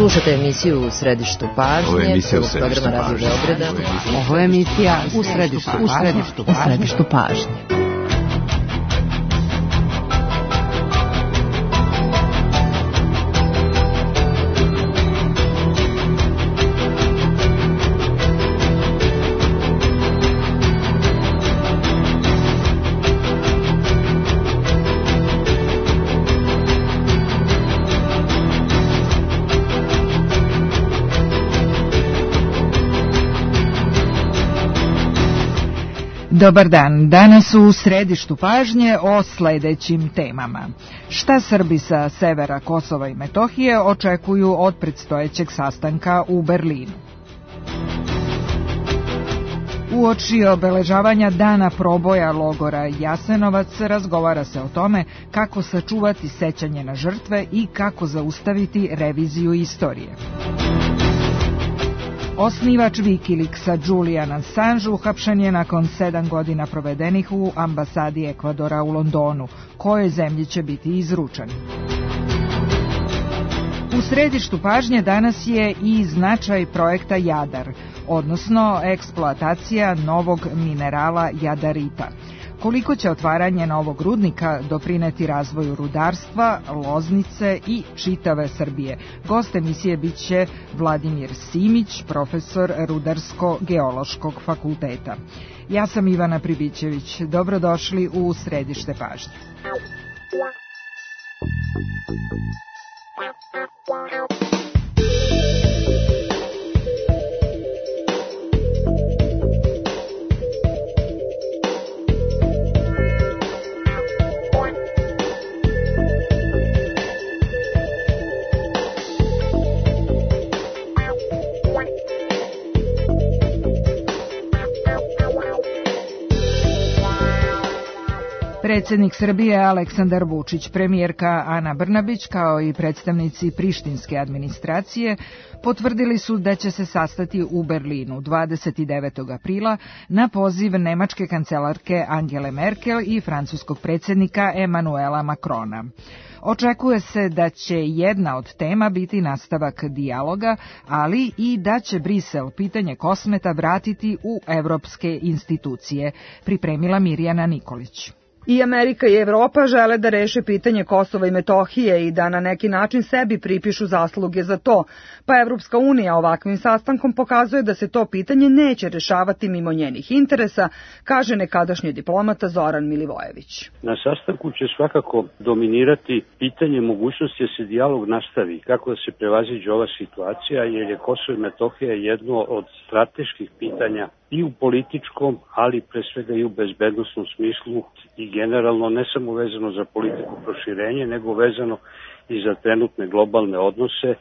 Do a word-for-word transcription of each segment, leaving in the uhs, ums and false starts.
Slušate emisiju U središtu pažnje. Ovo je emisija U središtu pažnje. Ovo je emisija U središtu pažnje. U središtu pažnje. Dobar dan, danas u središtu pažnje o sledećim temama. Šta Srbi sa severa Kosova i Metohije očekuju od predstojećeg sastanka u Berlinu? Uoči obeležavanja dana proboja logora Jasenovac razgovara se o tome kako sačuvati sećanje na žrtve i kako zaustaviti reviziju istorije. Osnivač Wikileaksa Julian Assange uhapšen je nakon sedam godina provedenih u ambasadi Ekvadora u Londonu. Kojoj zemlji će biti izručen? U središtu pažnje danas je i značaj projekta Jadar, odnosno eksploatacija novog minerala jadarita. Koliko će otvaranje novog rudnika doprineti razvoju rudarstva, Loznice i čitave Srbije? Gost emisije biće Vladimir Simić, profesor Rudarsko-geološkog fakulteta. Ja sam Ivana Pribićević. Dobrodošli u središte pažnje. Predsednik Srbije Aleksandar Vučić, premijerka Ana Brnabić kao i predstavnici prištinske administracije potvrdili su da će se sastati u Berlinu dvadeset devetog aprila na poziv nemačke kancelarke Angele Merkel i francuskog predsednika Emanuela Macrona. Očekuje se da će jedna od tema biti nastavak dijaloga, ali i da će Brisel pitanje Kosmeta vratiti u evropske institucije, pripremila Mirjana Nikolić. I Amerika i Evropa žele da reše pitanje Kosova i Metohije i da na neki način sebi pripišu zasluge za to, pa Evropska unija ovakvim sastankom pokazuje da se to pitanje neće rešavati mimo njenih interesa, kaže nekadašnji diplomata Zoran Milivojević. Na sastanku će svakako dominirati pitanje mogućnosti da se dijalog nastavi, kako da se prevaziđe ova situacija, jer je Kosovo i Metohija jedno od strateških pitanja i u političkom, ali pre svega i u bezbednosnom smislu i generalno ne samo vezano za politiku proširenja, nego vezano i za trenutne globalne odnose,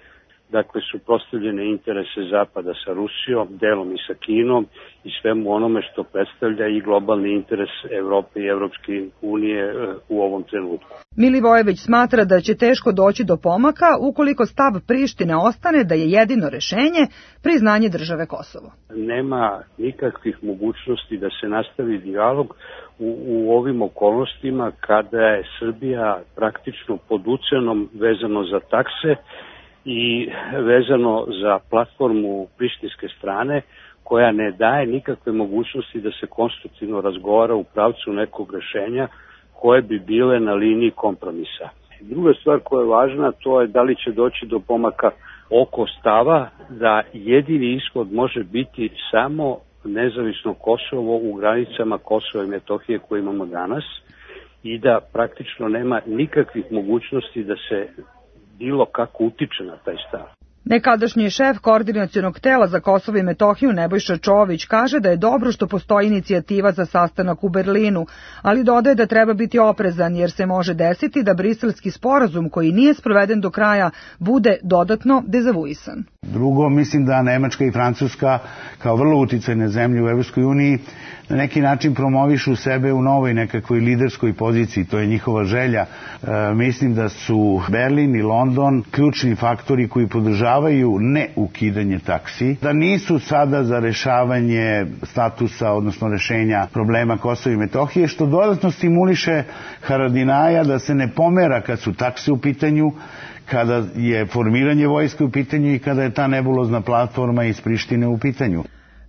dakle suprotstavljene interese Zapada sa Rusijom, delom i sa Kinom i svemu onome što predstavlja i globalni interes Evrope i Evropske unije u ovom trenutku. Milivojević smatra da će teško doći do pomaka ukoliko stav Prištine ostane da je jedino rešenje priznanje države Kosovo. Nema nikakvih mogućnosti da se nastavi dijalog u, u ovim okolnostima kada je Srbija praktično pod ucenom vezano za takse i vezano za platformu prištinske strane koja ne daje nikakve mogućnosti da se konstruktivno razgovara u pravcu nekog rešenja koje bi bile na liniji kompromisa. Druga stvar koja je važna, to je da li će doći do pomaka oko stava da jedini ishod može biti samo nezavisno Kosovo u granicama Kosova i Metohije koje imamo danas i da praktično nema nikakvih mogućnosti da se bilo kako utiče na taj stav. Nekadašnji šef koordinacionog tela za Kosovo i Metohiju Nebojša Čović kaže da je dobro što postoji inicijativa za sastanak u Berlinu, ali dodaje da treba biti oprezan jer se može desiti da briselski sporazum koji nije sproveden do kraja bude dodatno dezavuisan. Drugo, mislim da Nemačka i Francuska kao vrlo uticajne zemlje u Evropskoj uniji na neki način promovišu sebe u novoj nekakvoj liderskoj poziciji, to je njihova želja. E, mislim da su Berlin i London ključni faktori koji podržavaju ne ukidanje taksi, da nisu sada za rešavanje statusa, odnosno rešenja problema Kosova i Metohije, što dodatno stimuliše Haradinaja da se ne pomera kad su takse u pitanju, kada je formiranje vojske u pitanju i kada je ta nebulozna platforma iz Prištine u pitanju.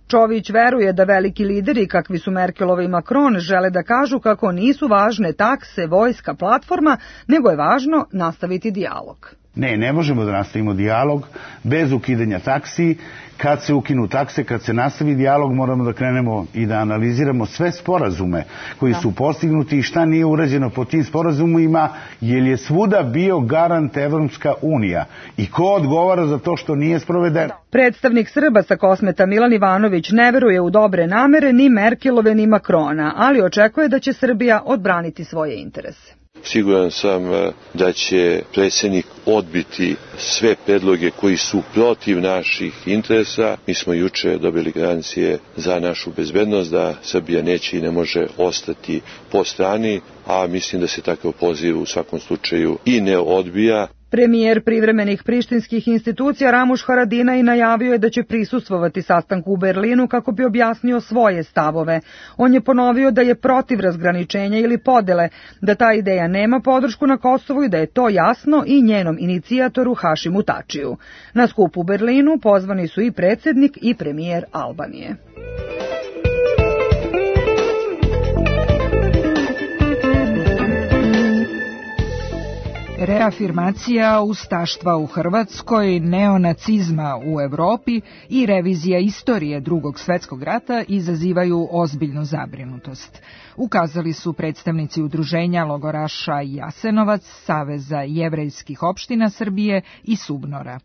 Čović veruje da veliki lideri kakvi su Merkelova i Macron žele da kažu kako nisu važne takse, vojska, platforma, nego je važno nastaviti dijalog. Ne, ne možemo da nastavimo dijalog bez ukidanja taksi. Kad se ukinu takse, kad se nastavi dijalog, moramo da krenemo i da analiziramo sve sporazume koji su postignuti i šta nije urađeno po tim sporazumima, jer je svuda bio garant Evropska unija. I ko odgovara za to što nije sprovedeno? Predstavnik Srba sa Kosmeta Milan Ivanović ne veruje u dobre namere ni Merkelove ni Macrona, ali očekuje da će Srbija odbraniti svoje interese. Siguran sam da će predsjednik odbiti sve predloge koji su protiv naših interesa. Mi smo juče dobili garancije za našu bezbednost da Srbija neće i ne može ostati po strani, a mislim da se takav poziv u svakom slučaju i ne odbija. Premijer privremenih prištinskih institucija Ramuš Haradinaj najavio je da će prisustvovati sastanku u Berlinu kako bi objasnio svoje stavove. On je ponovio da je protiv razgraničenja ili podele, da ta ideja nema podršku na Kosovu i da je to jasno i njenom inicijatoru Hašimu Tačiju. Na skup u Berlinu pozvani su i predsjednik i premijer Albanije. Reafirmacija ustaštva u Hrvatskoj, neonacizma u Evropi i revizija istorije Drugog svjetskog rata izazivaju ozbiljnu zabrinutost. Ukazali su predstavnici udruženja logoraša Jasenovac, Saveza jevrejskih opština Srbije i Subnora.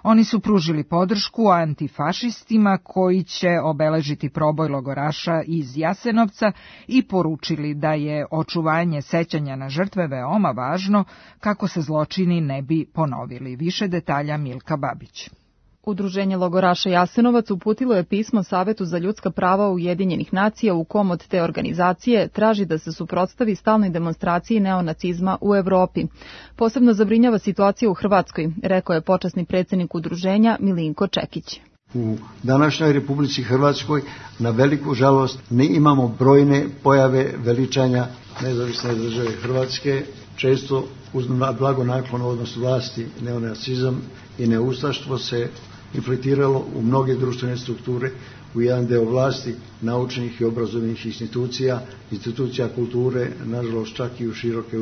Oni su pružili podršku antifašistima koji će obeležiti proboj logoraša iz Jasenovca i poručili da je očuvanje sećanja na žrtve veoma važno kako se zločini ne bi ponovili. Više detalja Milka Babić. Udruženje logoraša Jasenovac uputilo je pismo Savetu za ljudska prava Ujedinjenih nacija u kom od te organizacije traži da se suprotstavi stalnoj demonstraciji neonacizma u Evropi. Posebno zabrinjava situacija u Hrvatskoj, rekao je počasni predsjednik udruženja Milinko Čekić. U današnjoj Republici Hrvatskoj na veliku žalost ne imamo brojne pojave veličanja nezavisne države Hrvatske, često uz blagonaklon odnos vlasti neonacizam i neustaštvo se infiltriralo u mnoge društvene strukture, u jedan deo vlasti, naučnih i obrazovnih institucija, institucija kulture, nažalost čak i u široke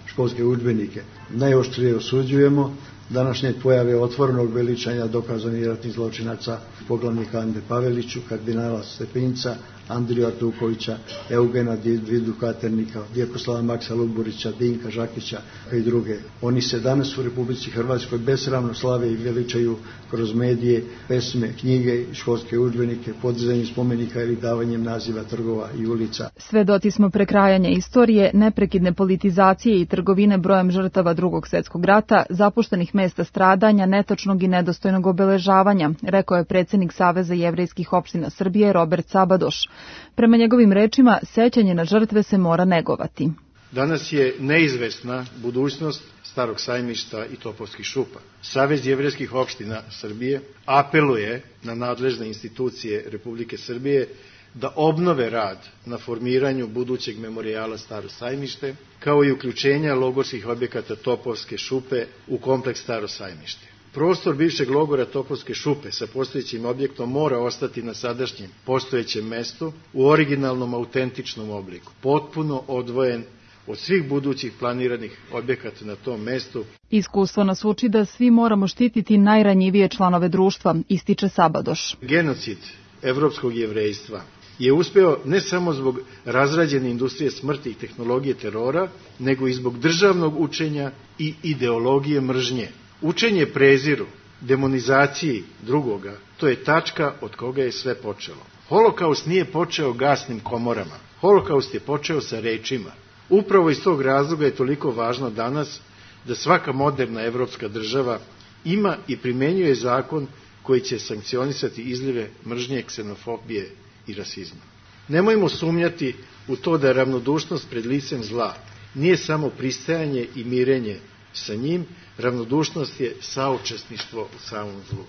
školske udžbenike. Najoštrije osuđujemo današnje pojave otvorenog veličanja dokazanih ratnih zločinaca, poglavnika Ande Paveliću, kardinala Stepinca, Andriju Artukovića, Eugena Vidu Katernika, Vjekoslava Maksa Luburića, Dinka Žakića i druge. Oni se danas u Republici Hrvatskoj besramno slave i veličaju kroz medije, pesme, knjige, školske udžbenike, podizanjem spomenika ili davanjem naziva trgova i ulica. Svedoci smo prekrajanja istorije, neprekidne politizacije i trgovine brojem žrtava Drugog svjetskog rata, zapuštenih mesta stradanja, netačnog i nedostojnog obeležavanja, rekao je predsjednik Saveza jevrejskih opština Srbije Robert Sabadoš. Prema njegovim rečima, sećanje na žrtve se mora negovati. Danas je neizvesna budućnost Starog sajmišta i Topovskih šupa. Savez jevrejskih opština Srbije apeluje na nadležne institucije Republike Srbije da obnove rad na formiranju budućeg memorijala Staro sajmište, kao i uključenja logorskih objekata Topovske šupe u kompleks Staro sajmište. Prostor bivšeg logora Topovske šupe sa postojećim objektom mora ostati na sadašnjem postojećem mestu u originalnom autentičnom obliku, potpuno odvojen od svih budućih planiranih objekata na tom mestu. Iskustvo nas uči da svi moramo štititi najranjivije članove društva, ističe Sabadoš. Genocid evropskog jevrejstva je uspeo ne samo zbog razrađene industrije smrti i tehnologije terora, nego i zbog državnog učenja i ideologije mržnje. Učenje preziru, demonizaciji drugoga, to je tačka od koga je sve počelo. Holokaust nije počeo gasnim komorama. Holokaust je počeo sa rečima. Upravo iz tog razloga je toliko važno danas da svaka moderna evropska država ima i primenjuje zakon koji će sankcionisati izlive mržnje, ksenofobije i rasizma. Nemojmo sumnjati u to da ravnodušnost pred licem zla nije samo pristajanje i mirenje sa njim, ravnodušnost je saučesništvo u samom zlu.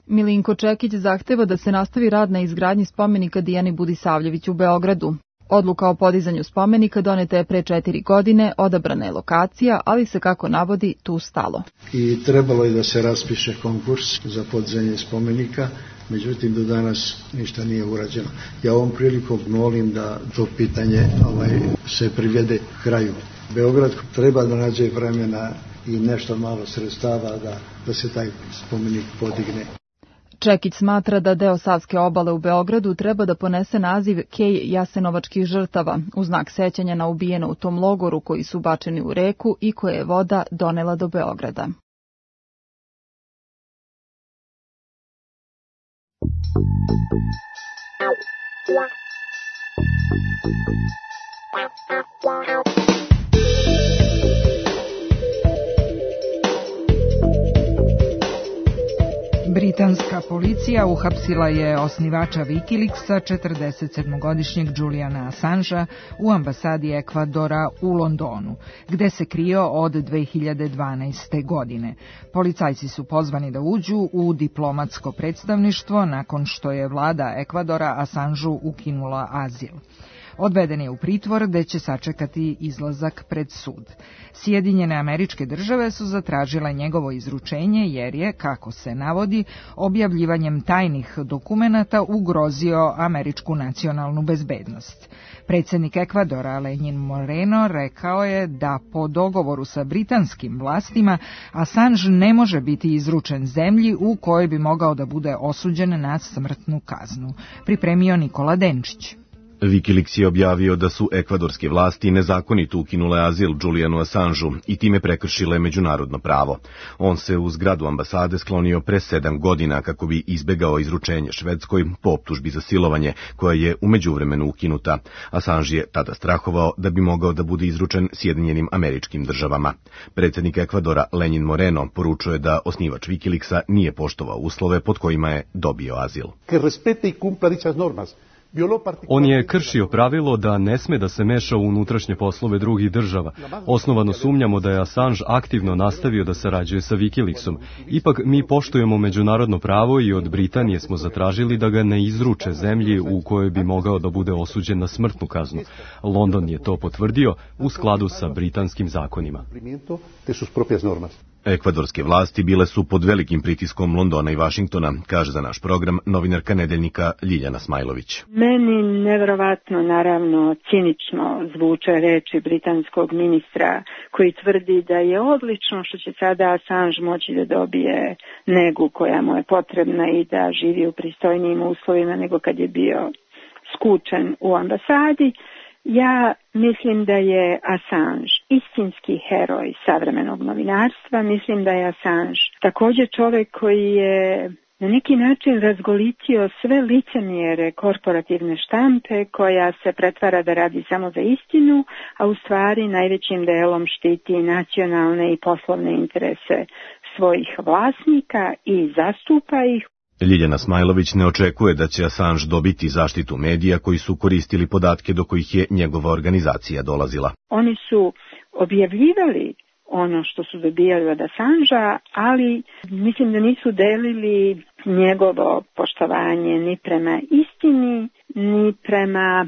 Milinko Čekić zahteva da se nastavi rad na izgradnji spomenika Dijani Budisavljević u Beogradu. Odluka o podizanju spomenika doneta je pre četiri godine, odabrana je lokacija, ali se, kako navodi, tu stalo. I trebalo je da se raspiše konkurs za podizanje spomenika, međutim do danas ništa nije urađeno. Ja ovom prilikom molim da to pitanje ovaj, se privede kraju. Beograd treba da nađe vremena i nešto malo sredstava da, da se taj spomenik podigne. Čekić smatra da deo Savske obale u Beogradu treba da ponese naziv Kej jasenovačkih žrtava, u znak sećanja na ubijene u tom logoru koji su bačeni u reku i koje je voda donela do Beograda. Britanska policija uhapsila je osnivača Wikileaksa, četrdesetsedmogodišnjeg Juliana Assangea, u ambasadi Ekvadora u Londonu, gde se krio od dve hiljade dvanaeste. godine. Policajci su pozvani da uđu u diplomatsko predstavništvo nakon što je vlada Ekvadora Assangeu ukinula azil. Odveden je u pritvor gde će sačekati izlazak pred sud. Sjedinjene Američke Države su zatražile njegovo izručenje jer je, kako se navodi, objavljivanjem tajnih dokumenata ugrozio američku nacionalnu bezbednost. Predsjednik Ekvadora Lenin Moreno rekao je da po dogovoru sa britanskim vlastima Assange ne može biti izručen zemlji u kojoj bi mogao da bude osuđen na smrtnu kaznu. Pripremio Nikola Denčić. Wikileaks je objavio da su ekvadorske vlasti nezakonito ukinule azil Julianu Assangeu i time prekršile međunarodno pravo. On se u zgradu ambasade sklonio pre sedam godina kako bi izbegao izručenje Švedskoj po optužbi za silovanje, koja je u međuvremenu ukinuta. Assange je tada strahovao da bi mogao da bude izručen Sjedinjenim Američkim Državama. Predsjednik Ekvadora Lenin Moreno poručuje da osnivač Wikileaksa nije poštovao uslove pod kojima je dobio azil. On je kršio pravilo da ne sme da se meša u unutrašnje poslove drugih država. Osnovano sumnjamo da je Assange aktivno nastavio da sarađuje sa Wikileaksom. Ipak mi poštujemo međunarodno pravo i od Britanije smo zatražili da ga ne izruče zemlji u kojoj bi mogao da bude osuđen na smrtnu kaznu. London je to potvrdio u skladu sa britanskim zakonima. Ekvadorske vlasti bile su pod velikim pritiskom Londona i Vašingtona, kaže za naš program novinarka Nedeljnika Ljiljana Smajlović. Meni nevjerovatno, naravno, cinično zvuče reči britanskog ministra koji tvrdi da je odlično što će sada Assange moći da dobije negu koja mu je potrebna i da živi u pristojnijim uslovima nego kad je bio skučen u ambasadi. Ja mislim da je Assange istinski heroj savremenog novinarstva. Mislim da je Assange također čovjek koji je na neki način razgolitio sve licemjere korporativne štampe koja se pretvara da radi samo za istinu, a u stvari najvećim delom štiti nacionalne i poslovne interese svojih vlasnika i zastupa ih. Ljiljana Smajlović ne očekuje da će Assange dobiti zaštitu medija koji su koristili podatke do kojih je njegova organizacija dolazila. Oni su objavljivali ono što su dobijali od Assangea, ali mislim da nisu delili njegovo poštovanje ni prema istini, ni prema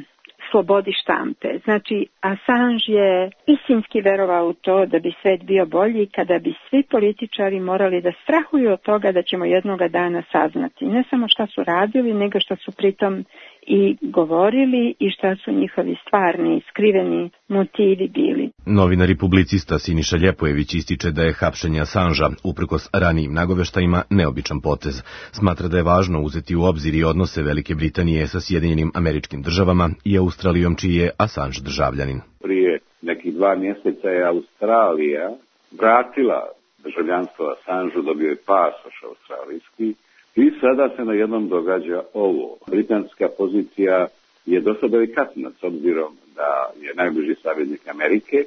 slobodi štampe. Znači, Assange je istinski verovao u to da bi svet bio bolji kada bi svi političari morali da strahuju od toga da ćemo jednoga dana saznati ne samo šta su radili, nego šta su pritom i govorili i šta su njihovi stvarni, skriveni motivi bili. Novinar i publicista Siniša Ljepojević ističe da je hapšenje Assangea, uprkos ranijim nagoveštajima, neobičan potez. Smatra da je važno uzeti u obzir i odnose Velike Britanije sa Sjedinjenim Američkim Državama i Australijom, čiji je Assange državljanin. Prije nekih dva mjeseca je Australija vratila državljanstvo Assangeu, dobio je pasoš australijski. I sada se na jednom događa ovo. Britanska pozicija je dosta delikatna s obzirom da je najbliži saveznik Amerike,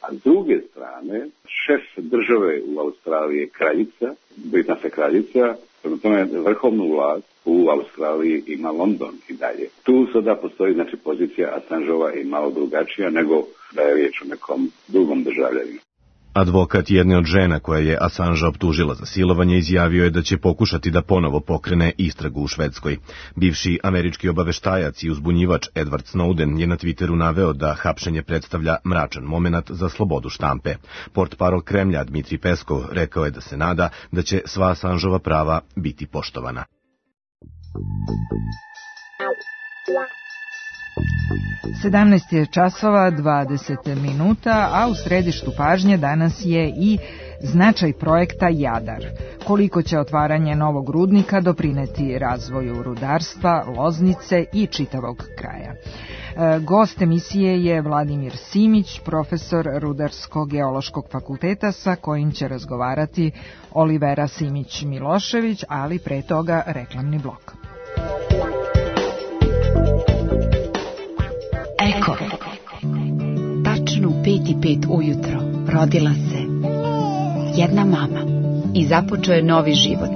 a s druge strane šef države u Australiji je kraljica, britanska kraljica, prema tome vrhovnu vlast u Australiji ima London i dalje. Tu sada postoji znači pozicija Assangeova i malo drugačija nego da je riječ o nekom drugom državljaninu. Advokat jedne od žena koja je Assangea optužila za silovanje izjavio je da će pokušati da ponovo pokrene istragu u Švedskoj. Bivši američki obaveštajac i uzbunjivač Edward Snowden je na Twitteru naveo da hapšenje predstavlja mračan momenat za slobodu štampe. Portparol Kremlja Dmitrij Peskov rekao je da se nada da će sva Assangeova prava biti poštovana. sedamnaest je časova dvadeset minuta, a u središtu pažnje danas je i značaj projekta Jadar. Koliko će otvaranje novog rudnika doprineti razvoju rudarstva, Loznice i čitavog kraja. Gost emisije je Vladimir Simić, profesor Rudarsko-geološkog fakulteta, sa kojim će razgovarati Olivera Simić-Milošević, ali pre toga reklamni blok. Eko, tačno u pet i pet ujutro rodila se jedna mama i započeo je novi život.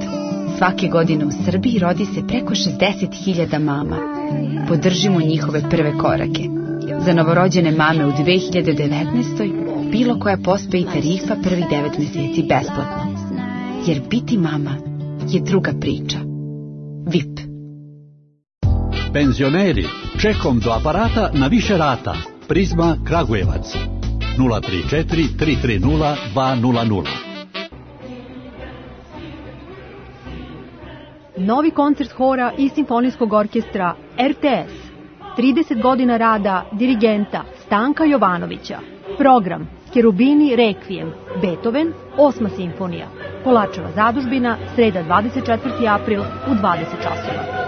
Svake godine u Srbiji rodi se preko šezdeset hiljada mama. Podržimo njihove prve korake. Za novorođene mame u dve hiljade devetnaestoj bilo koja pospe i tarifa prvih devet meseci besplatno. Jer biti mama je druga priča. V I P. Penzioneri, čekom do aparata na više rata. Prizma Kragujevac. nula tri četiri tri tri nula dva nula nula. Novi koncert hora i simfonijskog orkestra R T S. trideset godina rada dirigenta Stanka Jovanovića. Program Cherubini Requiem, Beethoven, osma simfonija. Polačeva zadužbina, sreda dvadeset četvrti april u dvadeset časova.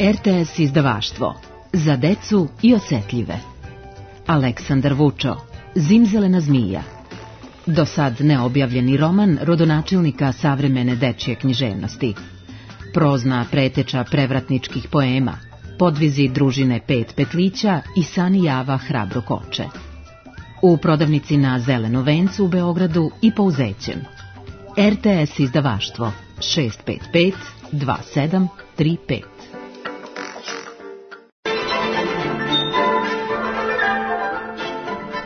R T S izdavaštvo. Za decu i osetljive. Aleksandar Vučo. Zimzelena zmija. Do sad neobjavljeni roman rodonačelnika savremene dečje književnosti. Prozna preteča prevratničkih poema. Podvizi družine Pet petlića i Sani Java Hrabro koče. U prodavnici na Zeleno vencu u Beogradu i po Uzećem. R T S izdavaštvo šest pet pet dva sedam tri pet.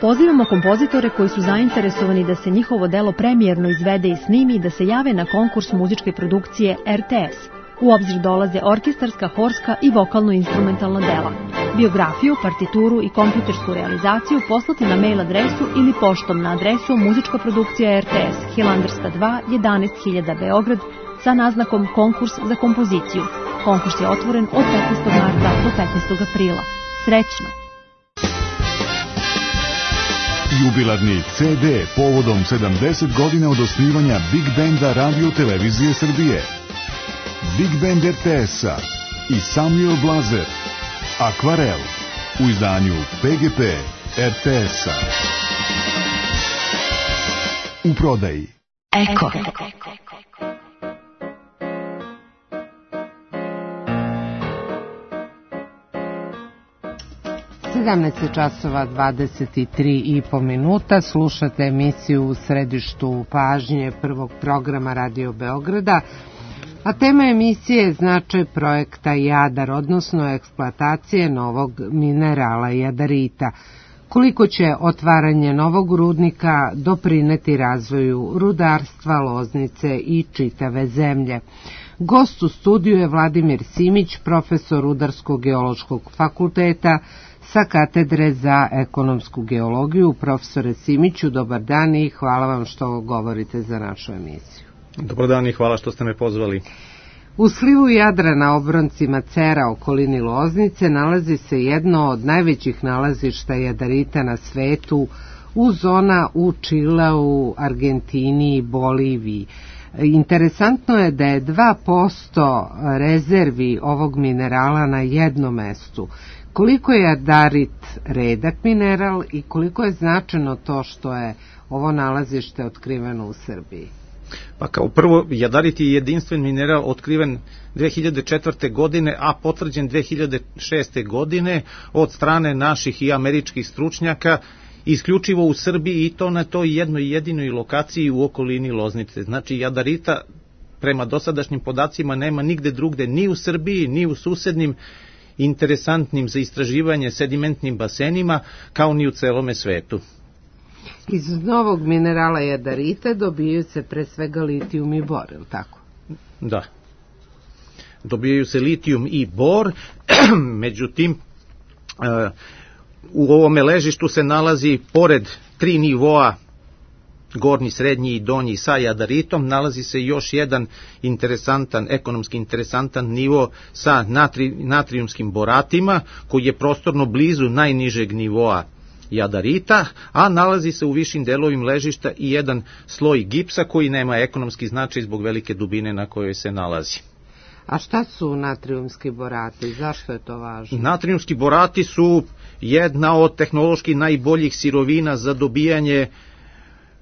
Pozivamo kompozitore koji su zainteresovani da se njihovo delo premijerno izvede i snimi i da se jave na konkurs muzičke produkcije R T S. U obzir dolaze orkestarska, horska i vokalno-instrumentalna dela. Biografiju, partituru i kompjutersku realizaciju poslati na mail adresu ili poštom na adresu muzička produkcija R T S, Hilandarska dva, jedanaest hiljada Beograd, sa naznakom konkurs za kompoziciju. Konkurs je otvoren od petnaestog marta do petnaestog aprila. Srećno! Jubilarni C D povodom sedamdeset godina od osnivanja Big Benda Radio Televizije Srbije. Big Band R T S-a i Samuel Blazer. Akvarel u izdanju P G P R T S-a. U prodaji. Eko. sedamnaest časova dvadeset tri i po minuta. Slušate emisiju U središtu pažnje prvog programa Radio Beograda, a tema emisije je značaj projekta Jadar, odnosno eksploatacije novog minerala jadarita. Koliko će otvaranje novog rudnika doprineti razvoju rudarstva, Loznice i čitave zemlje. Gost u studiju je Vladimir Simić, profesor Rudarsko-geološkog fakulteta sa katedre za ekonomsku geologiju. Profesore Simiću, dobar dan i hvala vam što govorite za našu emisiju. Dobar dan i hvala što ste me pozvali. U slivu Jadra na obroncima Cera, okolini Loznice, nalazi se jedno od najvećih nalazišta jadarita na svetu, uz zona u Čileu, Argentini i Boliviji. Interesantno je da je dva posto rezervi ovog minerala na jednom mestu. Koliko je jadarit redak mineral i koliko je značajno to što je ovo nalazište otkriveno u Srbiji? Pa kao prvo, jadarit je jedinstven mineral otkriven dve hiljade četvrte. godine, a potvrđen dve hiljade šeste. godine od strane naših i američkih stručnjaka, isključivo u Srbiji i to na toj jednoj jedinoj lokaciji u okolini Loznice. Znači, jadarita prema dosadašnjim podacima nema nigde drugde, ni u Srbiji, ni u susednim interesantnim za istraživanje sedimentnim basenima kao ni u celome svetu. Iz novog minerala jadarita dobijaju se pre svega litijum i bor, je li tako? Da. Dobijaju se litijum i bor, međutim, u ovome ležištu se nalazi, pored tri nivoa, gornji, srednji i donji sa jadaritom, nalazi se još jedan interesantan, ekonomski interesantan nivo sa natri, natrijumskim boratima, koji je prostorno blizu najnižeg nivoa jadarita, a nalazi se u višim delovim ležišta i jedan sloj gipsa koji nema ekonomski značaj zbog velike dubine na kojoj se nalazi. A šta su natrijumski borati? Zašto je to važno? Natrijumski borati su jedna od tehnološki najboljih sirovina za dobijanje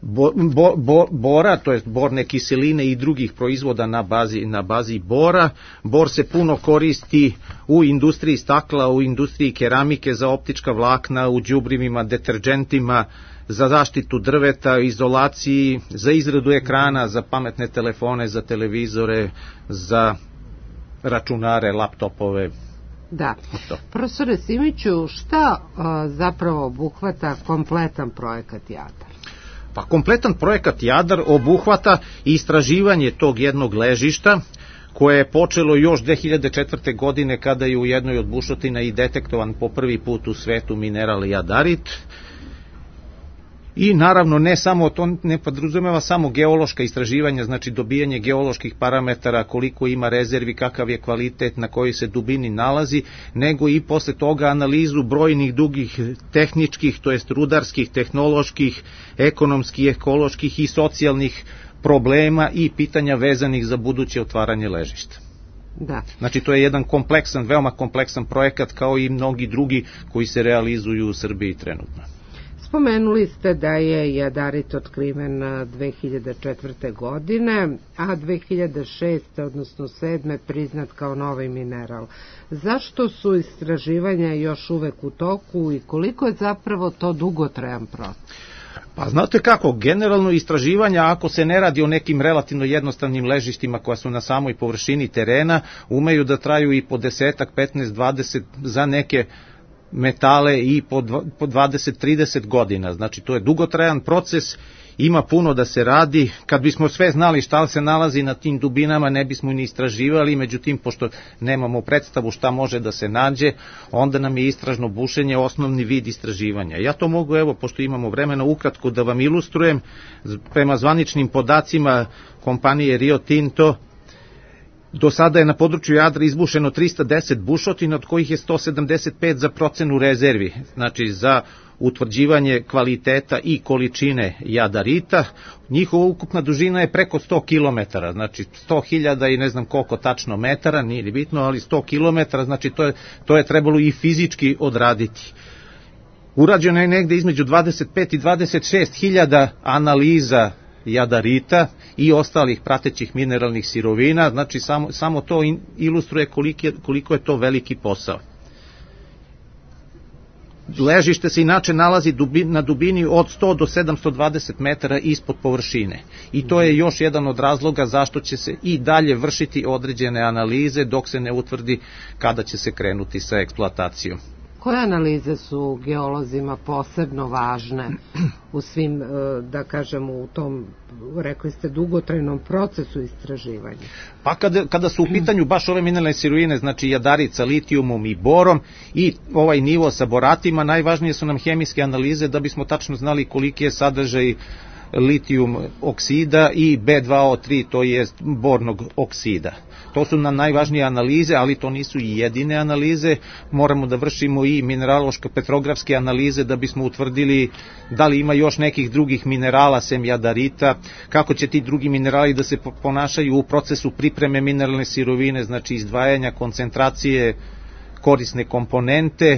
Bo, bo, bo, bora, to jest borne kiseline i drugih proizvoda na bazi, na bazi bora. Bor se puno koristi u industriji stakla, u industriji keramike, za optička vlakna, u đubrivima, deterđentima, za zaštitu drveta, izolaciji, za izradu ekrana, za pametne telefone, za televizore, za računare, laptopove. Da. Profesore Simiću, šta a, zapravo obuhvata kompletan projekat Jadar? Pa kompletan projekat Jadar obuhvata istraživanje tog jednog ležišta, koje je počelo još dve hiljade četvrte. godine kada je u jednoj od bušotina i detektovan po prvi put u svetu mineral jadarit. I naravno ne samo to ne podrazumeva samo geološka istraživanja, znači dobijanje geoloških parametara, koliko ima rezervi, kakav je kvalitet, na kojoj se dubini nalazi, nego i posle toga analizu brojnih drugih tehničkih, to jest rudarskih, tehnoloških, ekonomskih, ekoloških i socijalnih problema i pitanja vezanih za buduće otvaranje ležišta. Da. Znači to je jedan kompleksan, veoma kompleksan projekat, kao i mnogi drugi koji se realizuju u Srbiji trenutno. Spomenuli ste da je jadarit otkriven dve hiljade četvrte. godine, a dve hiljade šeste. odnosno sedme. priznat kao novi mineral. Zašto su istraživanja još uvek u toku i koliko je zapravo to dugotrajan proces? Pa znate kako, generalno istraživanja, ako se ne radi o nekim relativno jednostavnim ležištima koja su na samoj površini terena, umeju da traju i po desetak, petnaest, dvadeset, za neke metale i po dvadeset trideset godina. Znači to je dugotrajan proces, ima puno da se radi. Kad bismo sve znali šta se nalazi na tim dubinama, ne bismo ni istraživali, međutim pošto nemamo predstavu šta može da se nađe, onda nam je istražno bušenje osnovni vid istraživanja. Ja to mogu, evo, pošto imamo vremena, ukratko da vam ilustrujem. Prema zvaničnim podacima kompanije Rio Tinto, do sada je na području Jadra izbušeno trista deset bušotina, od kojih je sto sedamdeset pet za procenu rezervi, znači za utvrđivanje kvaliteta i količine jadarita. Njihova ukupna dužina je preko sto kilometara, znači sto hiljada i ne znam koliko tačno metara, nije bitno, ali sto kilometara, znači to je, to je trebalo i fizički odraditi. Urađeno je negde između dvadeset pet i dvadeset šest hiljada analiza jadarita i ostalih pratećih mineralnih sirovina, znači samo, samo to ilustruje koliko je, koliko je to veliki posao. Ležište se inače nalazi na dubini od sto do sedamsto dvadeset metara ispod površine i to je još jedan od razloga zašto će se i dalje vršiti određene analize dok se ne utvrdi kada će se krenuti sa eksploatacijom. Koje analize su geolozima posebno važne u svim, da kažemo, u tom, rekli ste, dugotrajnom procesu istraživanja? Pa kada, kada su u pitanju baš ove mineralne sirovine, znači jadarit sa litijumom i borom i ovaj nivo sa boratima, najvažnije su nam hemijske analize da bismo tačno znali koliki je sadržaj litijum oksida i be dva o tri, to je bornog oksida. To su nam najvažnije analize, ali to nisu i jedine analize. Moramo da vršimo i mineraloško-petrografske analize da bismo utvrdili da li ima još nekih drugih minerala sem jadarita, kako će ti drugi minerali da se ponašaju u procesu pripreme mineralne sirovine, znači izdvajanja, koncentracije, korisne komponente.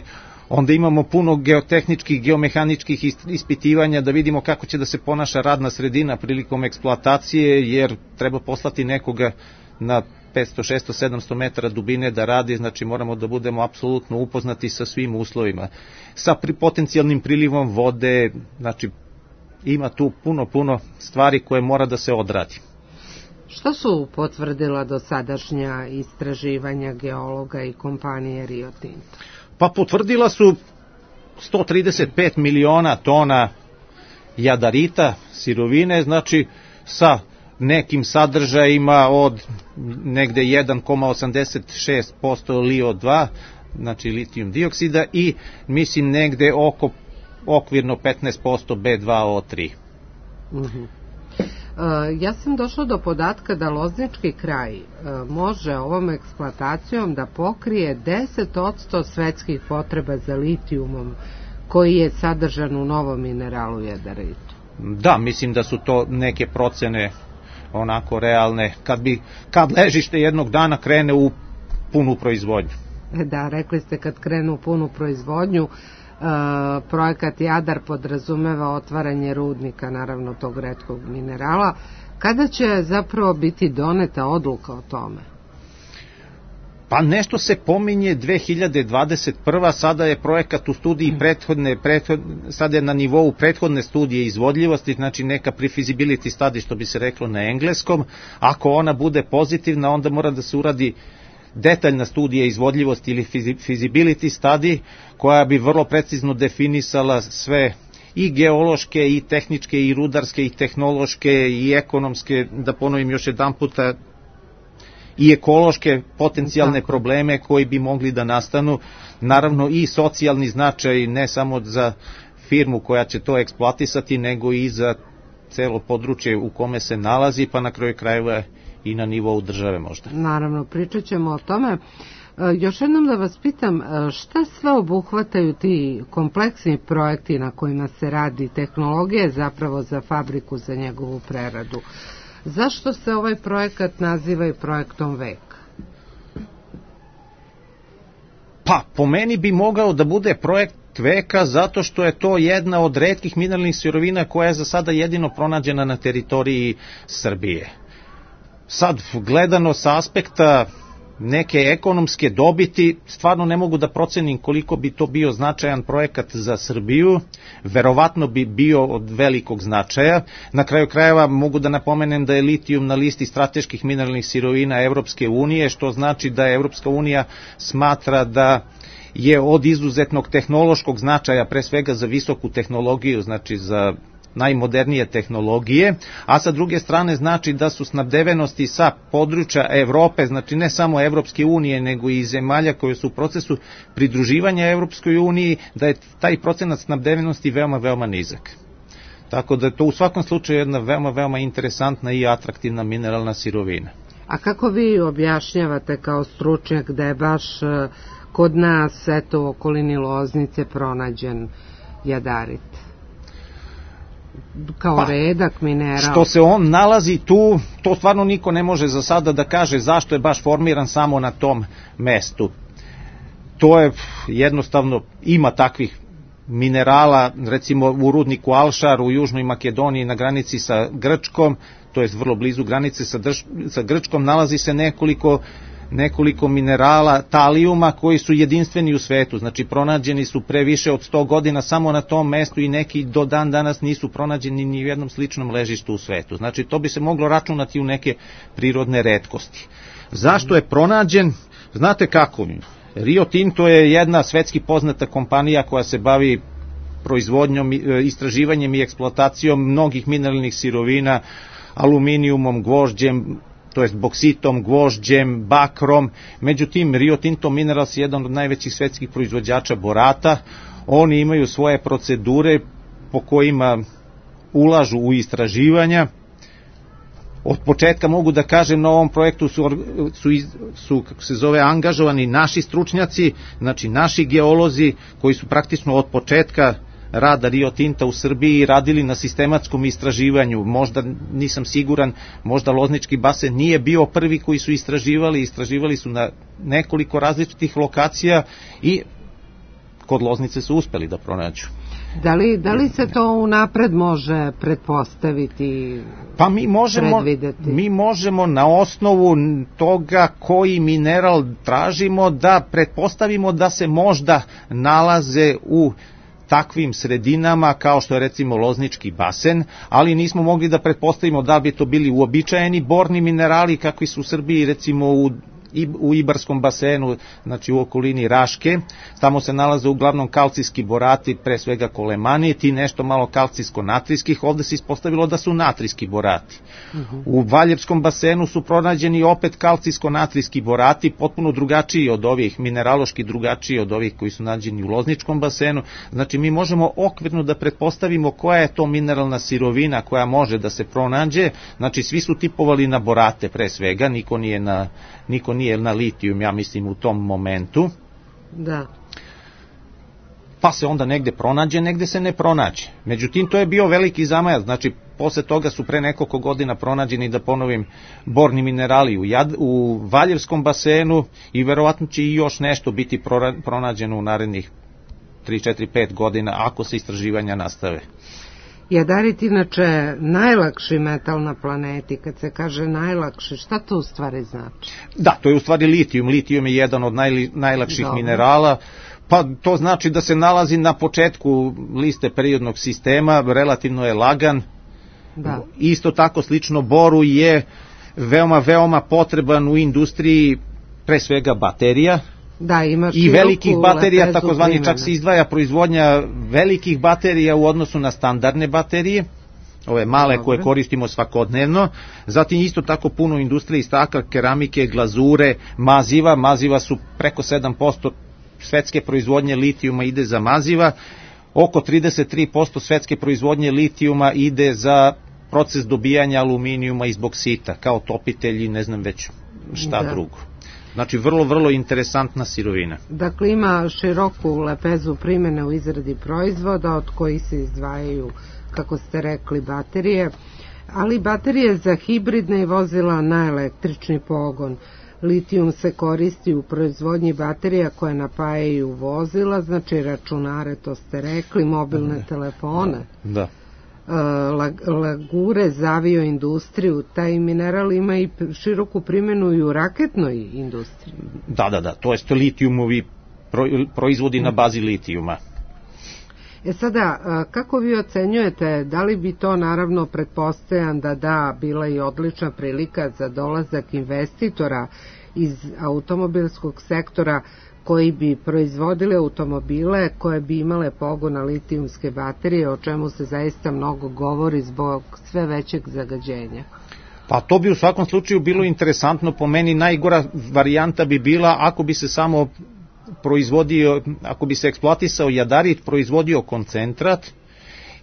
Onda imamo puno geotehničkih, geomehaničkih ispitivanja da vidimo kako će da se ponaša radna sredina prilikom eksploatacije, jer treba poslati nekoga na petsto, šesto, sedamsto metara dubine da radi, znači moramo da budemo apsolutno upoznati sa svim uslovima, sa potencijalnim prilivom vode, znači ima tu puno, puno stvari koje mora da se odradi. Što su potvrdila dosadašnja istraživanja geologa i kompanije Rio Tinto? Pa potvrdila su sto trideset pet miliona tona jadarita, sirovine, znači sa nekim sadržajima od negde jedan zarez osamdeset šest posto L I O dva, znači litijum dioksida, i mislim negde oko okvirno petnaest posto B dva O tri. Uh-huh. Ja sam došla do podatka da Loznički kraj može ovom eksploatacijom da pokrije deset posto svetskih potreba za litijumom koji je sadržan u novom mineralu jadaritu. Da, mislim da su to neke procene onako realne, kad bi kad ležište jednog dana krene u punu proizvodnju. Da, rekli ste kad krenu u punu proizvodnju. Uh, projekat Jadar podrazumeva otvaranje rudnika, naravno tog retkog minerala. Kada će zapravo biti doneta odluka o tome? Pa nešto se pominje dve hiljade dvadeset prva. Sada je projekat u studiji prethodne, prethodne sada je na nivou prethodne studije izvodljivosti, znači neka pre-feasibility study, što bi se reklo na engleskom. Ako ona bude pozitivna, onda mora da se uradi detaljna studija izvodljivosti ili feasibility study, koja bi vrlo precizno definisala sve i geološke, i tehničke, i rudarske, i tehnološke, i ekonomske, da ponovim još jedan puta, i ekološke potencijalne Tako. probleme koji bi mogli da nastanu, naravno i socijalni značaj, ne samo za firmu koja će to eksploatisati, nego i za celo područje u kome se nalazi, pa na kraju krajeva i na nivou države možda. Naravno, pričat ćemo o tome. Još jednom da vas pitam, šta sve obuhvataju ti kompleksni projekti na kojima se radi tehnologije zapravo za fabriku, za njegovu preradu? Zašto se ovaj projekat naziva i projektom veka? Pa, po meni bi mogao da bude projekt veka zato što je to jedna od retkih mineralnih sirovina koja je za sada jedino pronađena na teritoriji Srbije. Sad, gledano sa aspekta neke ekonomske dobiti, stvarno ne mogu da procenim koliko bi to bio značajan projekat za Srbiju, verovatno bi bio od velikog značaja. Na kraju krajeva mogu da napomenem da je litijum na listi strateških mineralnih sirovina Evropske unije, što znači da Evropska unija smatra da je od izuzetnog tehnološkog značaja, pre svega za visoku tehnologiju, znači za najmodernije tehnologije, a sa druge strane znači da su snabdevenosti sa područja Evrope, znači ne samo Evropske unije, nego i zemalja koje su u procesu pridruživanja Evropskoj uniji, da je taj procenat snabdevenosti veoma, veoma nizak. Tako da je to u svakom slučaju jedna veoma, veoma interesantna i atraktivna mineralna sirovina. A kako vi objašnjavate kao stručnjak da je baš kod nas, eto, u okolini Loznice pronađen jadarit? Kao pa, redak mineral. Što se on nalazi tu, to stvarno niko ne može za sada da kaže zašto je baš formiran samo na tom mestu. To je jednostavno, ima takvih minerala, recimo u rudniku Alšar u Južnoj Makedoniji na granici sa Grčkom, to je vrlo blizu granice sa, drž, sa Grčkom, nalazi se nekoliko nekoliko minerala talijuma koji su jedinstveni u svetu, znači pronađeni su pre više od sto godina samo na tom mestu i neki do dan danas nisu pronađeni ni u jednom sličnom ležištu u svetu. Znači to bi se moglo računati u neke prirodne retkosti. Zašto je pronađen? Znate kako? Rio Tinto je jedna svetski poznata kompanija koja se bavi proizvodnjom, istraživanjem i eksploatacijom mnogih mineralnih sirovina, aluminijumom, gvožđem, to jest boksitom, gvožđem, bakrom. Međutim, Rio Tinto Minerals je jedan od najvećih svetskih proizvođača borata. Oni imaju svoje procedure po kojima ulažu u istraživanja. Od početka mogu da kažem, na ovom projektu su, su, su kako se zove, angažovani naši stručnjaci, znači naši geolozi koji su praktično od početka rada Rio Tinta u Srbiji radili na sistematskom istraživanju. Možda, nisam siguran, možda Loznički basen nije bio prvi koji su istraživali, istraživali su na nekoliko različitih lokacija i kod Loznice su uspeli da pronađu. Da li, da li se to unapred može pretpostaviti, pa mi možemo, predvideti? Mi možemo na osnovu toga koji mineral tražimo da pretpostavimo da se možda nalaze u takvim sredinama kao što je recimo Loznički basen, ali nismo mogli da pretpostavimo da bi to bili uobičajeni borni minerali kakvi su u Srbiji recimo u u Ibarskom basenu, znači u okolini Raške. Tamo se nalaze uglavnom kalcijski borati, pre svega kolemanit i nešto malo kalcijsko-natrijskih. Ovde se ispostavilo da su natrijski borati. Uh-huh. U Valjevskom basenu su pronađeni opet kalcijsko-natrijski borati, potpuno drugačiji od ovih, mineraloški drugačiji od ovih koji su nađeni u Lozničkom basenu. Znači mi možemo okvirno da pretpostavimo koja je to mineralna sirovina koja može da se pronađe. Znači svi su tipovali na borate pre svega, niko nije na niko nije na litijum, ja mislim, u tom momentu. Da. Pa se onda negde pronađe, negde se ne pronađe. Međutim, to je bio veliki zamajac, znači, posle toga su pre nekoliko godina pronađeni, da ponovim, borni minerali u, Jad, u Valjevskom basenu i verovatno će i još nešto biti pronađeno u narednih tri, četiri, pet godina, ako se istraživanja nastave. Jadarit inače najlakši metal na planeti. Kad se kaže najlakši, šta to u stvari znači? Da, to je u stvari litijum. Litijum je jedan od naj, najlakših Dobre. minerala. Pa to znači da se nalazi na početku liste periodnog sistema, relativno je lagan. Da. Isto tako slično boru je veoma, veoma potreban u industriji, pre svega baterija. Da, ima i velikih baterija, takozvani, čak se izdvaja proizvodnja velikih baterija u odnosu na standardne baterije, ove male Dobre. koje koristimo svakodnevno. Zatim isto tako puno industrije i stakla, keramike, glazure, maziva. Maziva su preko sedam posto svetske proizvodnje litijuma ide za maziva, oko trideset tri posto svetske proizvodnje litijuma ide za proces dobijanja aluminijuma iz boksita, kao topitelji, ne znam već šta da. drugo. Znači, vrlo, vrlo interesantna sirovina. Dakle, ima široku lepezu primene u izradi proizvoda, od kojih se izdvajaju, kako ste rekli, baterije, ali baterije za hibridne i vozila na električni pogon. Litijum se koristi u proizvodnji baterija koje napajaju vozila, znači računare, to ste rekli, mobilne da. telefone. Da. Lagure za avioindustriju, taj mineral ima i široku primjenu i u raketnoj industriji. Da, da, da, to jest litijumovi proizvodi na bazi litijuma. E sada, kako vi ocenjujete, da li bi to naravno pretpostavljam da da bila i odlična prilika za dolazak investitora iz automobilskog sektora koji bi proizvodili automobile koje bi imale pogon na litijumske baterije, o čemu se zaista mnogo govori zbog sve većeg zagađenja? Pa to bi u svakom slučaju bilo interesantno. Po meni najgora varijanta bi bila ako bi se samo proizvodio, ako bi se eksploatisao jadarit, proizvodio koncentrat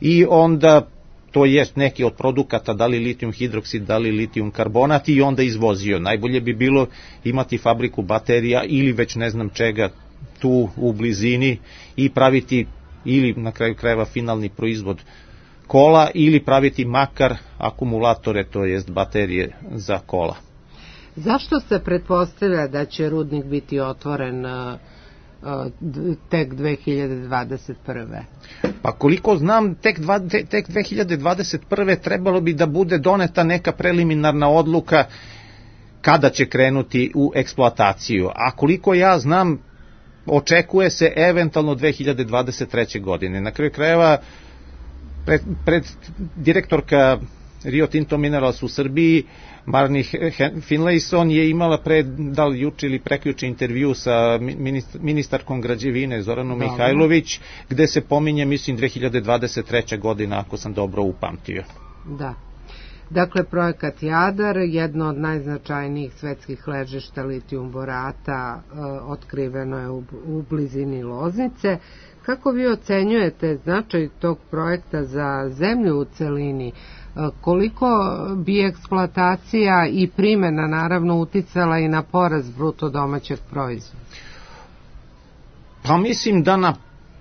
i onda to jest neki od produkata, da li litijum hidroksid, da li litijum karbonat, i onda izvozio. Najbolje bi bilo imati fabriku baterija ili već ne znam čega tu u blizini i praviti ili na kraju krajeva finalni proizvod kola ili praviti makar akumulatore, to jest baterije za kola. Zašto se pretpostavlja da će rudnik biti otvoren tek dve hiljade dvadeset prve. Pa koliko znam, tek, dva, tek dve hiljade dvadeset prve trebalo bi da bude doneta neka preliminarna odluka kada će krenuti u eksploataciju. A koliko ja znam, očekuje se eventualno dve hiljade dvadeset treće. godine. Na kraju krajeva, pred, pred direktorka Rio Tinto Minerals u Srbiji, Marni Finlayson, je imala pre, da li juče ili prekjuče, intervju sa ministarkom građevine Zoranom da, Mihajlović, gde se pominje, mislim, dve hiljade dvadeset treća. godina, ako sam dobro upamtio. Da. Dakle, projekat Jadar, jedno od najznačajnijih svetskih ležišta litijum borata, e, otkriveno je u, u blizini Loznice. Kako vi ocenjujete značaj tog projekta za zemlju u celini? Koliko bi eksploatacija i primjena naravno uticala i na porast bruto domaćeg proizvoda? Pa mislim da na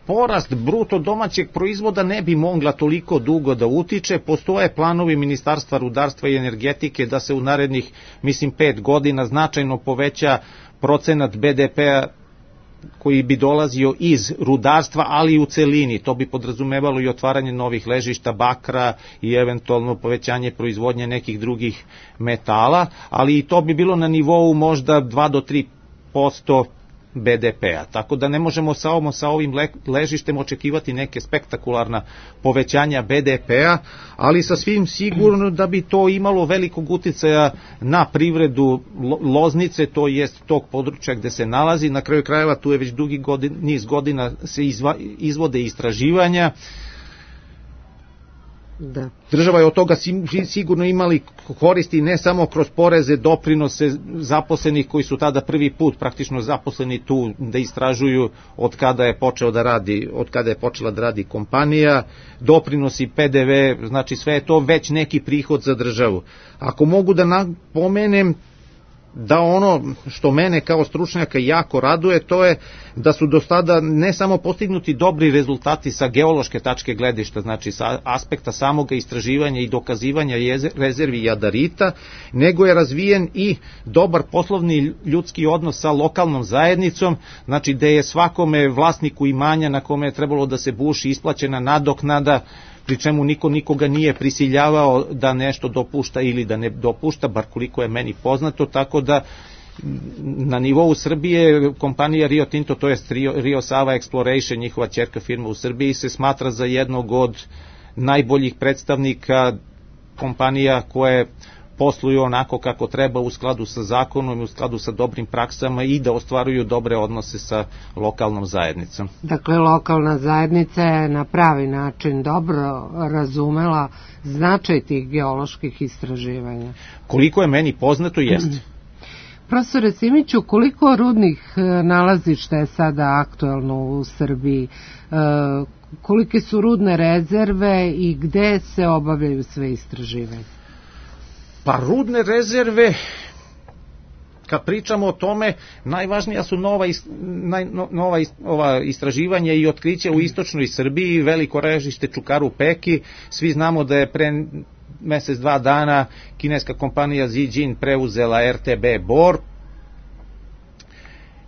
porast bruto domaćeg proizvoda ne bi mogla toliko dugo da utiče. Postoje planovi Ministarstva rudarstva i energetike da se u narednih, mislim, pet godina značajno poveća procenat be de pe-a koji bi dolazio iz rudarstva, ali i u celini. To bi podrazumevalo i otvaranje novih ležišta bakra i eventualno povećanje proizvodnje nekih drugih metala, ali i to bi bilo na nivou možda dva do tri posto be de pe-a. Tako da ne možemo samo sa ovim ležištem očekivati neke spektakularna povećanja be de pe-a, ali sa svim sigurno da bi to imalo velikog uticaja na privredu Loznice, to jest tog područja gde se nalazi. Na kraju krajeva tu je već dugi godin, niz godina se izva, izvode istraživanja. Da. Država je od toga sigurno imali koristi ne samo kroz poreze, doprinose zaposlenih koji su tada prvi put praktično zaposleni tu da istražuju od kada je počeo da radi, od kada je počela da radi kompanija, doprinosi, pe de ve, znači sve je to već neki prihod za državu. Ako mogu da napomenem da ono što mene kao stručnjaka jako raduje, to je da su do sada ne samo postignuti dobri rezultati sa geološke tačke gledišta, znači sa aspekta samoga istraživanja i dokazivanja rezervi jadarita, nego je razvijen i dobar poslovni ljudski odnos sa lokalnom zajednicom, znači gde je svakome vlasniku imanja na kome je trebalo da se buši isplaćena nadoknada, pri čemu niko nikoga nije prisiljavao da nešto dopušta ili da ne dopušta, bar koliko je meni poznato, tako da na nivou Srbije kompanija Rio Tinto, to je Rio, Rio Sava Exploration, njihova ćerka firma u Srbiji, se smatra za jednog od najboljih predstavnika kompanija koje posluju onako kako treba u skladu sa zakonom i u skladu sa dobrim praksama i da ostvaruju dobre odnose sa lokalnom zajednicom. Dakle, lokalna zajednica je na pravi način dobro razumela značaj tih geoloških istraživanja. Koliko je meni poznato, jeste. Profesore Simiću, koliko rudnih nalazišta je sada aktuelno u Srbiji? Kolike su rudne rezerve i gde se obavljaju sve istraživanja? Pa rudne rezerve, kad pričamo o tome, najvažnija su nova, naj, nova ova istraživanja i otkriće u istočnoj Srbiji, veliko ležište Čukaru Peki. Svi znamo da je pre mesec, dva dana kineska kompanija Zijin preuzela er te be Bor.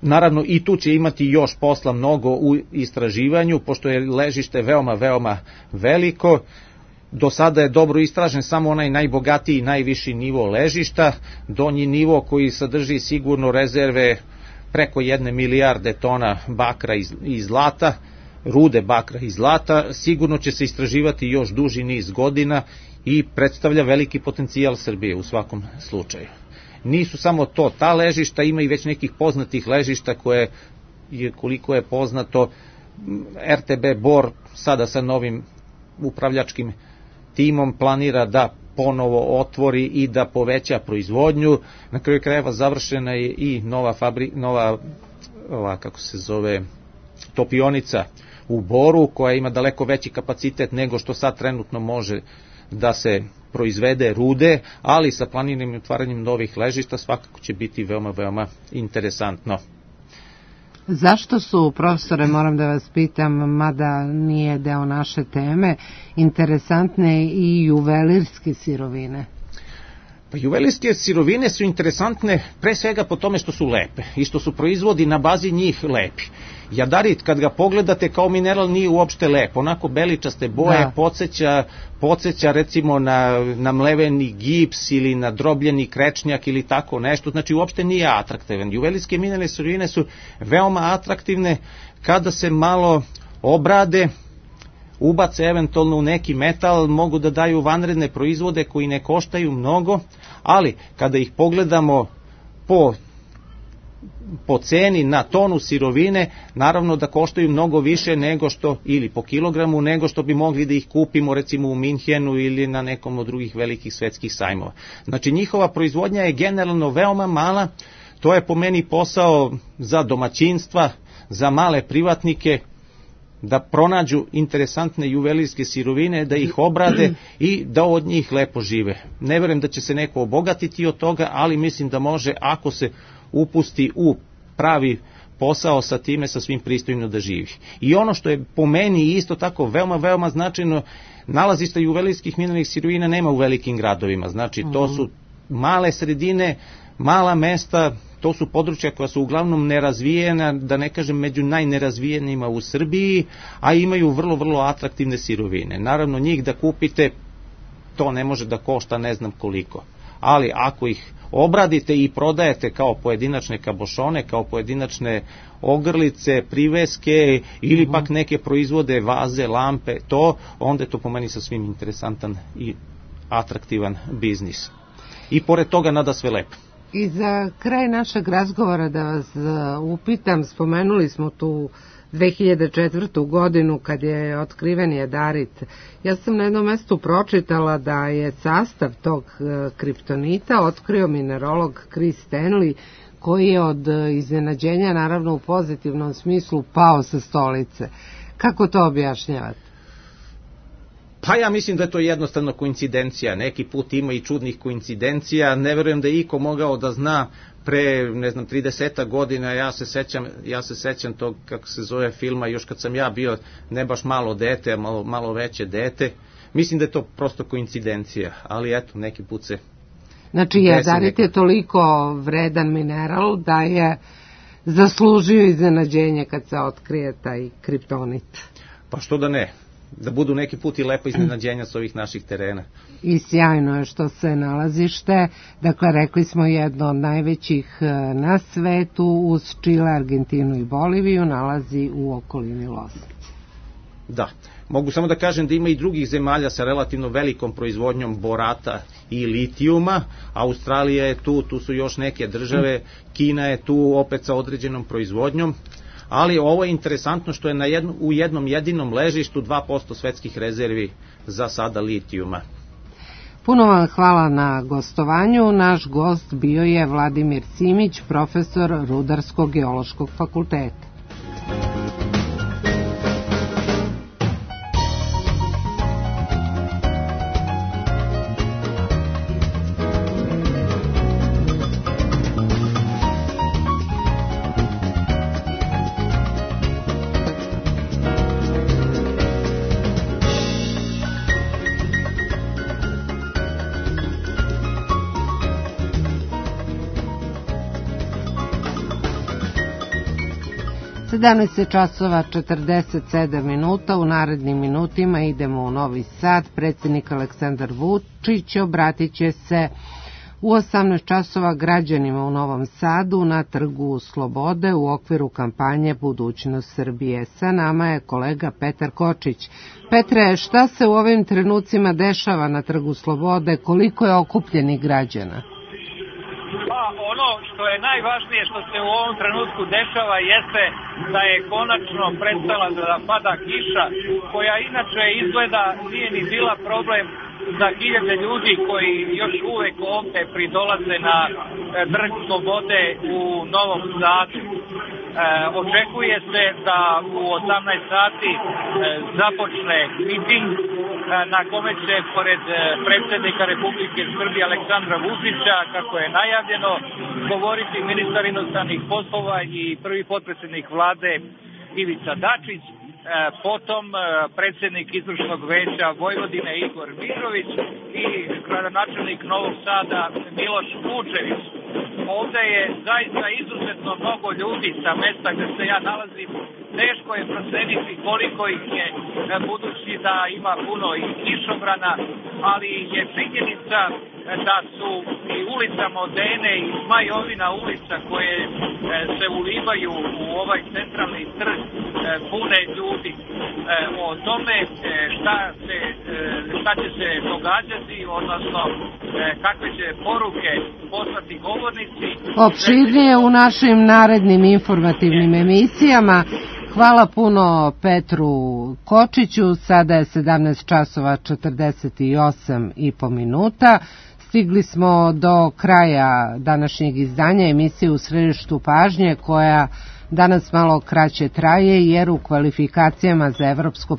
Naravno i tu će imati još posla mnogo u istraživanju, pošto je ležište veoma, veoma veliko. Do sada je dobro istražen samo onaj najbogatiji i najviši nivo ležišta, donji nivo koji sadrži sigurno rezerve preko jedne milijarde tona bakra i zlata, rude bakra i zlata, sigurno će se istraživati još duži niz godina i predstavlja veliki potencijal Srbije u svakom slučaju. Nisu samo to, ta ležišta, ima i već nekih poznatih ležišta koje je, koliko je poznato, er te be Bor sada sa novim upravljačkim timom planira da ponovo otvori i da poveća proizvodnju. Na kraju krajeva završena je i nova fabri, nova ova, kako se zove, topionica u Boru, koja ima daleko veći kapacitet nego što sad trenutno može da se proizvede rude, ali sa planiranim otvaranjem novih ležišta svakako će biti veoma, veoma interesantno. Zašto su, profesore, moram da vas pitam, mada nije deo naše teme, interesantne i juvelirske sirovine? Pa juvelirske sirovine su interesantne pre svega po tome što su lepe i što su proizvodi na bazi njih lepi. Jadarit, kad ga pogledate kao mineral, nije uopšte lep, onako beličaste boje, da. podsjeća, podsjeća recimo na, na mleveni gips ili na drobljeni krečnjak ili tako nešto, znači uopšte nije atraktivan. Juvelirske mineralne sirovine su veoma atraktivne kada se malo obrade, ubace eventualno u neki metal, mogu da daju vanredne proizvode koji ne koštaju mnogo, ali kada ih pogledamo po po ceni na tonu sirovine, naravno da koštaju mnogo više nego što, ili po kilogramu, nego što bi mogli da ih kupimo recimo u Minhenu ili na nekom od drugih velikih svetskih sajmova. Znači njihova proizvodnja je generalno veoma mala, to je po meni posao za domaćinstva, za male privatnike, da pronađu interesantne juvelirske sirovine, da ih obrade i da od njih lepo žive. Ne verujem da će se neko obogatiti od toga, ali mislim da može ako se upusti u pravi posao sa time, sa svim pristojno da živi. I ono što je po meni isto tako veoma, veoma značajno, nalazišta juvelirskih mineralnih sirovina nema u velikim gradovima. Znači to su male sredine, mala mesta, to su područja koja su uglavnom nerazvijena, da ne kažem među najnerazvijenima u Srbiji, a imaju vrlo, vrlo atraktivne sirovine. Naravno njih da kupite, to ne može da košta ne znam koliko. ali ako ih obradite i prodajete kao pojedinačne kabošone, kao pojedinačne ogrlice, priveske ili pak neke proizvode, vaze, lampe, to, onda je to po meni sasvim interesantan i atraktivan biznis. I pored toga nada sve lepo. I za kraj našeg razgovora da vas upitam, spomenuli smo tu dve hiljade četvrtu. godinu kad je otkriven jadarit. Ja sam na jednom mestu pročitala da je sastav tog kriptonita otkrio minerolog Chris Stanley, koji je od iznenađenja, naravno u pozitivnom smislu, pao sa stolice. Kako to objašnjavate? Pa ja mislim da je to jednostavno koincidencija. Neki put ima i čudnih koincidencija. Ne verujem da je iko mogao da zna pre, ne znam, trideset godina, ja se sećam, ja se sećam tog, kako se zove, filma, još kad sam ja bio ne baš malo dete, malo, malo veće dete. Mislim da je to prosto koincidencija, ali eto, neki put se... Znači, jadarit je toliko vredan mineral da je zaslužio iznenađenje kad se otkrije taj kriptonit. Pa što da ne? Da budu neki put i lepo iznenađenja s ovih naših terena. I sjajno je što se nalazište, dakle rekli smo jedno od najvećih na svetu, uz Čile, Argentinu i Boliviju, nalazi u okolini Loznice. Da, mogu samo da kažem da ima i drugih zemalja sa relativno velikom proizvodnjom borata i litijuma. Australija je tu, tu su još neke države, Kina je tu opet sa određenom proizvodnjom. Ali ovo je interesantno što je na jedno, u jednom jedinom ležištu dva posto svetskih rezervi za sada litijuma. Puno vam hvala na gostovanju. Naš gost bio je Vladimir Simić, profesor Rudarsko-geološkog fakulteta. sedamnaest časova četrdeset sedam minuta, u narednim minutima idemo u Novi Sad. Predsjednik Aleksandar Vučić obratit će se u osamnaest časova građanima u Novom Sadu na Trgu Slobode u okviru kampanje Budućnost Srbije. Sa nama je kolega Petar Kočić. Petre, šta se u ovim trenucima dešava na Trgu Slobode, koliko je okupljenih građana? Pa ono što je najvažnije što se u ovom trenutku dešava jeste da je konačno prestala da pada kiša, koja inače izgleda nije ni bila problem za hiljade ljudi koji još uvek ovde pridolaze na Trg Slobode u Novom Sadu. E, očekuje se da u osamnaest sati e, započne miting e, na kome će pored predsjednika Republike Srbije Aleksandra Vučića, kako je najavljeno, govoriti ministar inostranih poslova i prvi potpredsjednik vlade Ivica Dačić, e, potom e, predsjednik izvršnog veća Vojvodine Igor Mirović i gradonačelnik Novog Sada Miloš Vučević. Ovde je zaista izuzetno mnogo ljudi sa mesta gde se ja nalazim. Teško je proceniti koliko ih je, budući da ima puno i kišobrana, ali je činjenica da su i ulica Modene i Zmajovina ulica koje se ulivaju u ovaj centralni trg pune ljudi. O tome šta, se, šta će se događati, odnosno kakve će poruke poslati govornici. Opširnije u našim narednim informativnim emisijama. Hvala puno Petru Kočiću. Sada je sedamnaest časova četrdeset osam i po minuta. Stigli smo do kraja današnjeg izdanja emisije U središtu pažnje, koja danas malo kraće traje jer u kvalifikacijama za evropsko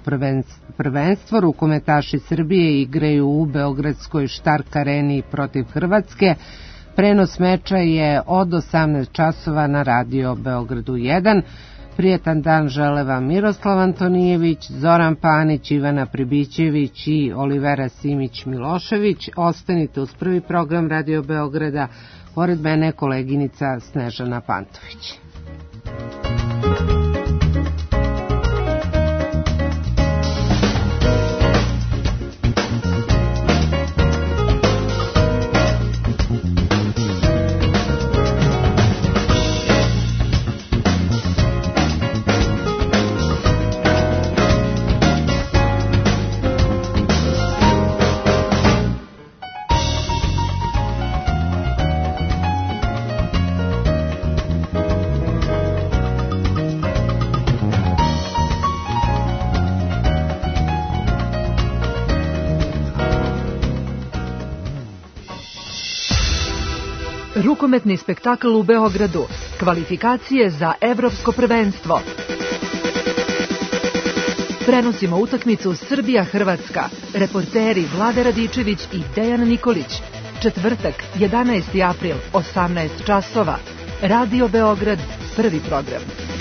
prvenstvo rukometaši Srbije igraju u beogradskoj Štark areni protiv Hrvatske. Prenos meča je od osamnaest časova na Radio Beogradu jedan. Prijetan dan žele vam Miroslav Antonijević, Zoran Panić, Ivana Pribićević i Olivera Simić-Milošević. Ostanite uz prvi program Radio Beograda. Pored mene koleginica Snežana Pantović. rukometni spektakl u Beogradu, kvalifikacije za evropsko prvenstvo. Prenosimo utakmicu Srbija-Hrvatska, reporteri Vlada Radičević i Dejan Nikolić. Četvrtak, jedanaesti april, osamnaest časova. Radio Beograd, prvi program.